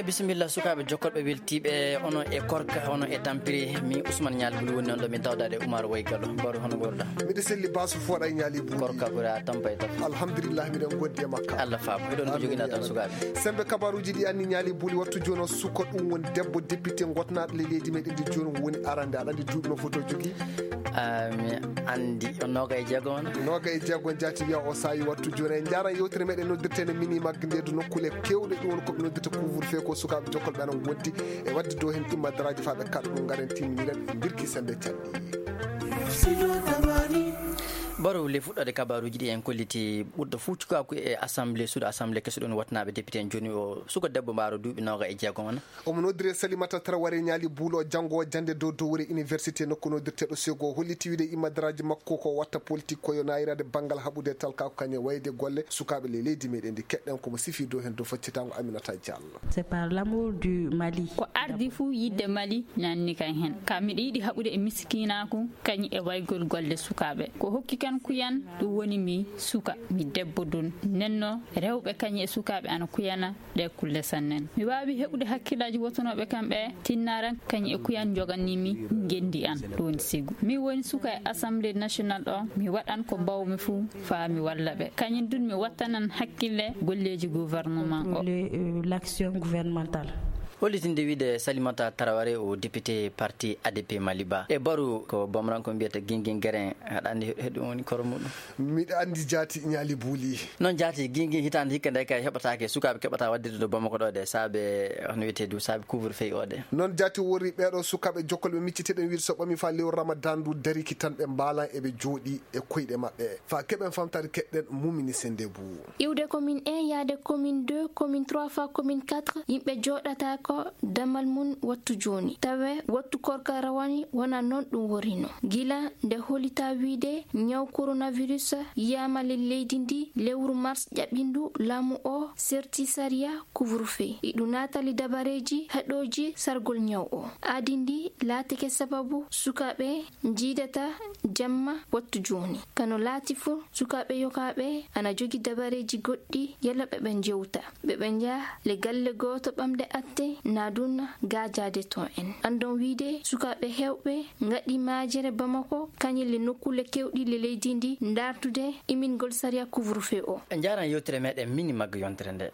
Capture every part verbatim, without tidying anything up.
Bisimilla, sukaaɓe jokkoɗɓe weltiiɓe, onon e Korka, onon e Tampiri. Min Ousmane Ñaali Buli woni noon ɗo, min tawdaade Umar Way Gallo. Baro, hono ngorɗaa? Miɗo selli, Basu Fooɗa e Ñaali Buli. Korka ɓura Tampa e Tafa. Alhamdulillah, miɗen gondi e makka. Allah faabo. Hiɗon ko joginaa tan, sukaaɓe? Sembe kabaaruuji ɗi anni Ñaali Buli, wattu jooni o suka ɗum woni debbo député gotnaaɗo le leydi meɗen ndi jooni woni arande. Aɗa anndi duuɓi no foto jogii? Ah, mi anndi. On noogay e jeego on? Noogay e jeego on jaati wiya o saawi wattu jooni. En njaaran yewtere meɗen noddirteende mini magde nde du nokkuule keewɗe ɗum woni ko ɓe noddirta couvre-feu ko sukaaɓe jokkolɓe ana ngondi e waɗde dow heen imma daraaji faa ɓe kaɗa ɗum ngaren timminiren mbirki sende canɗi. Baro, le fuɗɗoode kabaaruuji ɗi en kolliti ɓurɗo fuu cukaaku e assemblée, suudu assemblée keso ɗum watnaaɓe député en jooni o suka debbo mbaaro duuɓi noogay e jeego on. Omo noddire Salimata Traoré Ñaali Buulo, janngo jannde dow dowre université nokku noddirteeɗo Sego, holliti wiide imma daraaji makko ko watta politique ko yo naayiraade banngal haɓude talka ko kañum wayde golle sukaaɓe le leydi meɗen ndi. Keɗɗen komo sifi dow heen dow faccitaango Aminata Diallo. C'est par l'amour du Mali. Ko ardi fuu yidde Mali nanni kan heen. Ka miɗo yiɗi haɓude e miskiinaaku kañum e waygol golle sukaaɓe. Ko hokki kan kuyan ɗum woni mi suka, mi debbo dun. Nenno rewɓe kañum e sukaaɓe ana kuyana ɗe kulle sannen. Mi waawi heɓude hakkillaaji wotunooɓe kam ɓe tinnaran kañum e kuyan joganni mi ngenndi an ɗum woni Segu. Mi woni suka e Assemblée nationale ɗo, mi waɗan ko mbawmi fuu faa mi walla ɓe. Kañum dun mi wattanan hakkille golleeji gouvernement o. Le, euh, l'action gouvernementale. Hollitinde wiide Salimata Traoré o député parti A D P Maliba. E Baru ko Bomranko mbiyata Gingin Guérin, aɗa anndi he ɗum woni koro muɗum? Miɗa anndi jaati Ñaali Buuli. Noon jaati Gingin hitaande hikka nde kay heɓataake sukaaɓe keɓata waɗde to Bamako ɗo de saabe hono wiyetee du saabe couvre-feu o de. Noon jaati wori ɓeeɗo sukaaɓe jokkolɓe micciteɗen wiide so ɓami faa lewru Ramadan ndu dariki tan ɓe mbaalan eɓe jooɗi e koyɗe maɓɓe. Faa keɓen famtaade keɗɗen Mumini Sendebou. Iwde commune un yaade commune deux, commune trois faa commune quatre, yimɓe jooɗata ko damal mum wattu jooni. Tawe wattu korka rawani wona noon ɗum worino. Gila nde holita wiide ñaw coronavirus yiyaama le leydi ndi, lewru mars ƴaɓɓindu laamu o serti sariya couvre-feu. Iɗu naatali dabareeji haɗooji sargol ñaw o. Aadi ndi laatike sababu sukaaɓe njiidata jamma wattu jooni. Kano laati fuu, sukaaɓe yokaaɓe ana jogi dabareeji goɗɗi yalla ɓe ɓe njewta. Ɓe ɓe njaha le galle gooto ɓamde atte, naa dun gaajaade toon en. Anndon wiide sukaaɓe heewɓe ngaɗi maajere Bamako, kañum le nokkuule keewɗi le leydi ndi, ndaartude imingol sariya couvre-feu o. En njaaran yewtere meɗen mini magga yontere nde.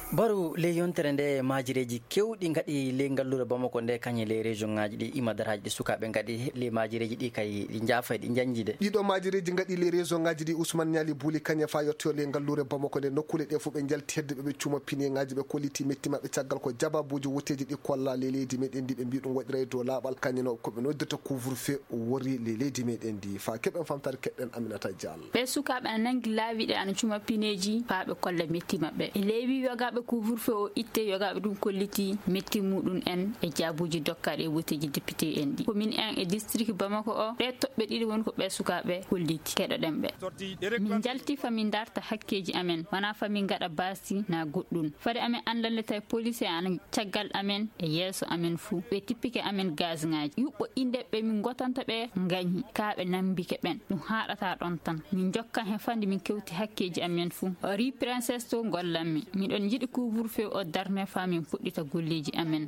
Baru le yontere nde maajireeji keewɗi ngaɗi le ngalluure Bamako nde kañum le région ŋaaji ɗi ima daraaji ɗi sukaaɓe ngaɗi le maajireeji ɗi kay ɗi njaafa ɗi njanji de. Ɗiɗo maajireeji ngaɗi le région ŋaaji ɗi Ousmane Ñaali Buuli kañum faa yottoyo le ngalluure Bamako nde nokkuule ɗe fof ɓe njalti hedde ɓe ɓe cuuma pine ŋaaji ɓe kolliti metti maɓɓe caggal ko jababuuji wotteeji ɗi kolla le leydi meɗen ndi ɓe mbi ɗum waɗiray dow laaɓal kañum no ko ɓe noddirta couvre-feu wori le leydi meɗen ndi. Faa keɓen famtaade keɗɗen Aminata Diallo. Ɓee sukaaɓe ana nanngi laawi ɗe ana cuma pineeji faa ɓe kolla metti maɓɓe. E leewi yogaaɓe couvre-feu o itte, yogaaɓe ɗum kolliti metti muɗum en e jaabuuji dokkaaɗi e woteeji député en ɗi. Commune un e district Bamako o, ɗee toɓɓe ɗiɗi woni ko ɓee sukaaɓe kolliti. Keɗoɗen ɓe. Min njalti faa min ndarta hakkeeji amen, wanaa faa min ngaɗa baasi naa goɗɗum. Fade amen anndande tawi police ana caggal amen e yeeso amen fuu. Ɓe tippike amen gaz ŋaaji. Yuɓɓo innde ɓe min ngotanta ɓe ngañi, kaa ɓe nambike ɓen. Ɗum haaɗata ɗon tan. Min njokkan he fande min kewti hakkeeji amen fuu. O ri princesse to ngollanmi. Miɗon njiɗi couvre-feu o darne faa min puɗɗita golleeji amen.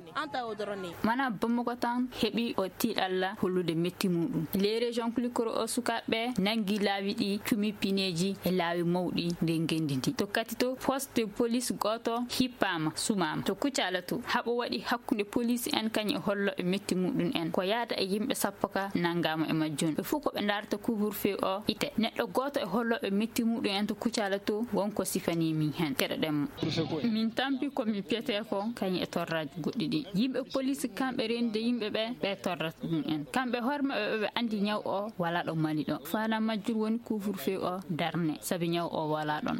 Mana Bamako tan heɓi o tiiɗalla hollude metti muɗum. Les régions Klikoro o sukaaɓe nangi laawi ɗi cumi pineeji e laawi mawɗi nder ngenndi ndi. To Katito, poste police gooto hippaama, sumaama. To Kucala to, haɓo waɗi hakkunde police en kañum e holloɓe metti muɗum en. Ko yaada e yimɓe sappo ka nangaama e majjum. Ɓe fof ko ɓe ndaarata couvre-feu o ite. Neɗɗo gooto e holloɓe metti muɗum en to Kucala to won ko sifanii min heen. Keɗoɗen mo. Min tampi ko min piyetee ko kañum e torraaji goɗɗi ɗi. Yimɓe police kamɓe rendude yimɓe ɓe, ɓe torrata ɗum en. Kamɓe hoore maɓɓe ɓe anndi ñaw o walaa ɗo Mali ɗo. Fana majjum woni couvre-feu o darne, sabi ñaw o walaa ɗon.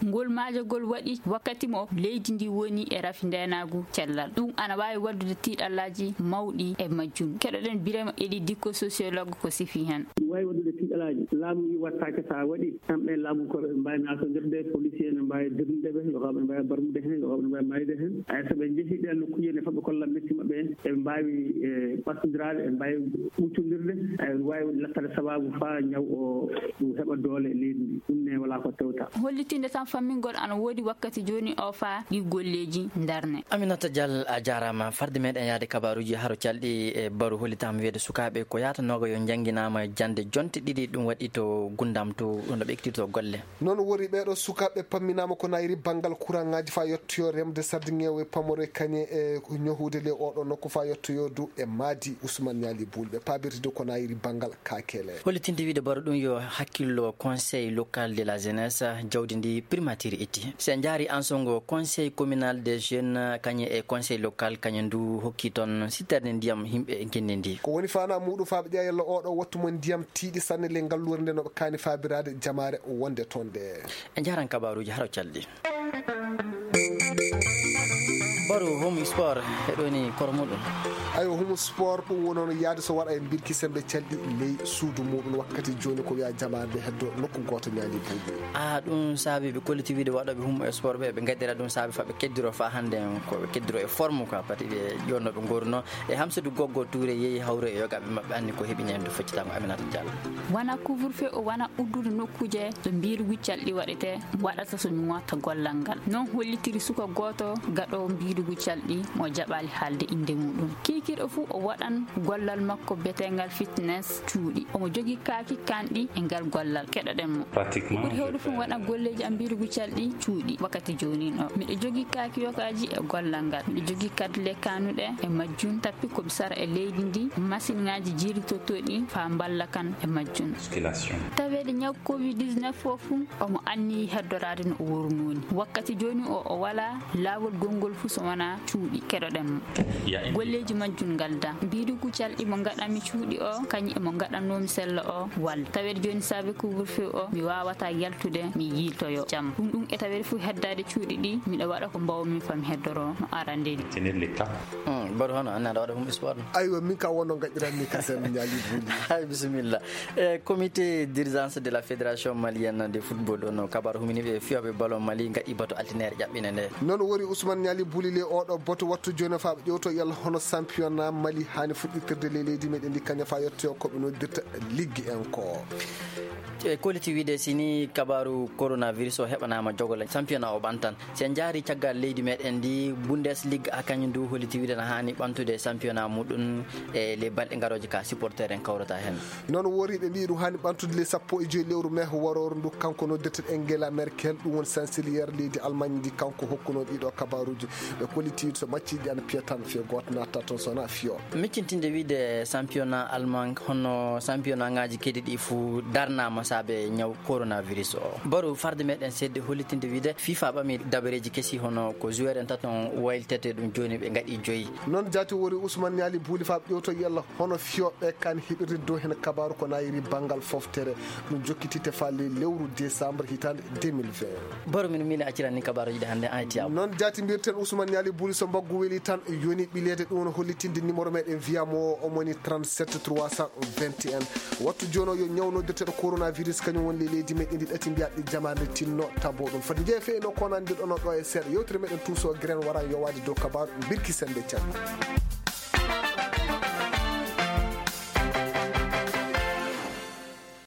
Ngol maajagol waɗi wakkati mo leydi ndi woni e rafi ndeenaagu cellal. Ɗum ana waawi waddude tiiɗallaaji mawɗi e majjum. Keɗoɗen Birema Eli Dikko, sociologue, ko sifi heen. Waawi waɗude tiiɗalaaji. Laamu wi wattaake, so a waɗi, kamɓe laamu ko ɓe mbaawi naatondirde, policier ne mbaawi dirnude ɓe, yo kamɓe mbaawi barmude heen, yo kamɓe mbaawi maayde heen. Ay, so ɓe njehii ɗeen nokkuuji ne, fotɓe kolla metti maɓɓe, eɓe mbaawi, e, ɓattondiraade, eɓe mbaawi ɓuuctondirde, ay, waawi lattaade sabaabu faa ñaw o ɗum heɓa doole e leydi ndi. Ɗum ne walaa ko tewta. Hollitinde tan fammingol ana woodi wakkati jooni o faa ɗi golleeji ndarne. Aminata Dial, a jaaraama. Farde meɗen yaade kabaaruuji haro calɗi e baru hollitaama wiyeede sukaaɓe ko yaatanooga yo njannginaama jannde jonte ɗiɗi, ɗum waɗi to Gundam to ɗum ɗo ɓe ekkitirto golle. Noon wori ɓeeɗo sukaaɓe pamminaama ko nayri banngal kuraŋaaji faa yottoyo remde sardiŋeewo e pamoro e kañe e ñohude le oɗo nokku faa yottoyo dow e maadi Ousmane Niali Bouli ɓe paabirtide ko nayri banngal Kakele. Hollitinde wiide baro ɗum yo hakkillo Conseil local de la jeunesse, jawdi ndi primature itti. Si en njaari ansongo Conseil communal des jeunes, kañum e Conseil local, kañum ndu hokki toon sitterde ndiyam yimɓe e ngenndi ndi. Ko woni faanaa muuɗum faa ɓe ƴeewa yalla oɗo wattu mo ndiyam tiiɗi sanne le ngalluure nde no ɓe kaani faabiraade jamaare wonde toon nde. En njaaran kabaaruuji haro calɗi. Baru Home Sport, e ɗo ni koro muɗum. Ayo, Home Sport ɗum woni hono yaade so waɗa e mbirki sembe calɗi ley suudu muɗum. Wakkati jooni ko wiya jamaare heddo nokku gooto ñaali buuɗi. A, ɗum saabi ɓe kolliti wiide waɗooɓe Home Sport ɓe, ɓe ngaɗira ɗum saabi fa ɓe keddiro fa hannde ko ɓe keddiro e forme quoi, pati ɓe ƴonno ɓe ngorno. E Hamsidou Goggo Touré yehi hawre e yogaɓe maɓɓe anni ko heɓi ñande foccitaango Aminata Diallo. Wona couvre-feu o wona uddude nokkuuje to mbiirugu calɗi waɗete, waɗata so mi ŋotta gollal ngal. Noon hollitiri suka gooto gaɗoowo mbiirugu calɗi mo jaɓaali haalde innde muɗum. Kiikiiɗo fuu o waɗan gollal makko betengal fitness cuuɗi. Omo jogii kaaki kanɗi e ngal gollal. Keɗoɗen mo. Pratiquement, ɓuri heewde fof waɗa golleeji am mbiirugu calɗi cuuɗi. Wakkati jooni o, miɗo jogii kaaki yokaaji e gollal ngal. Miɗo jogii kadi le kanuɗe e majjum. Tappi ko mi sara e leydi ndi, masiŋaaji jiirtotooɗi faa mballa kan e majjum. Musculation. Taweede ñaw covid dix-neuf o fuu, omo anniyi heddoraade no o worunoo ni. Wakkati jooni o, o walaa laawol gonngol fuu so wonaa cuuɗi. Keɗoɗen mo. Golleeji majjum ngaldaa. Mbiirugu calɗi mo ngaɗanmi cuuɗi o, kañum e mo ngaɗannoomi sella o, walla. Taweede jooni saabe couvre-feu o, mi waawataa yaltude, mi yiiltoyo jam. Ɗum ɗum e taweede fuu heddaade cuuɗi ɗi, miɗo waɗa ko mbaawmi faa mi heddoro no arande ni. Tenir les cas. Hmm, mbaɗu hono, an aɗa waɗa Home Sport? Aywa, min ka wonno ngaɗiranmi ka sen ñaali buuɗi. Hay, bisimilla. E, comité d'urgence de la Fédération malienne de football, ɗo no kabar humini ɓe fiyooɓe ballon Mali ngaɗi bato altinaire ƴaɓɓine nde. Noon wori Ousmane Niali Bouli le oɗo bato wattu jooni faa ɓe ƴewto yalla hono championnat Mali haani fuɗɗitirde le leydi meɗen ndi kaña faa yettoyo ko ɓe noddirta liggi en ko. E, kolliti wiide si ni kabaru coronavirus o heɓanaama jogole championnat o ɓantan. Si en njaari caggal leydi meɗen ndi, Bundesliga a kañum ndu holliti wiide na haani ɓantude championnat muɗum e le balɗe ngarooje ka supporter en kawrata heen. Noon wori ɓe mbiyi ɗum haani ɓantude le sappo e joyi lewru mai warooru ndu kanko noddirteɗo Angela Merkel, ɗum woni chancelier leydi Allemagne ndi, kanko hokkuno ɗiɗo kabaruuji. Ɓe kolliti so macciiji ana piya tan fiyo gooto natta toon so wonaa fiyo. Miccintinde wiide championnat Allemagne hono championnat ngaji kedi ɗi fuu darnaama saabe ñaw coronavirus o. Baru farde meɗen sedde hollitinde wiide FIFA ɓami dabareeji kesi hono ko joueur en taton waylitete ɗum jooni ɓe ngaɗi joyi. Noon jaati wori Ousmane Niali Bouli faa ɓe ƴewto yalla hono fiyooɓe kan heɓirde dow heen kabaru ko nayiri banngal foftere ɗum jokkitite faa ley lewru décembre hitaande deux mille vingt. Baru min miin acciran ni kabaruuji ɗi hannde an e Tiyaabu. Noon jaati mbirten Ousmane Niali Bouli so mbaggu weli tan yoni ɓileede ɗum no hollitinde numéro meɗen wiyamo o omoni trente-sept trois cent vingt et un. Wattu jooni o yo ñaw noddirteɗo coronavirus kañum woni ley leydi meɗen ndi ɗati mbiyaɗi jamaande tinno tabo ɗum. Fati jeefe no konandi ɗono ɗo e seeɗa. Yewtere meɗen tuuso gren waran yowaade dow kabaru birki sembe can.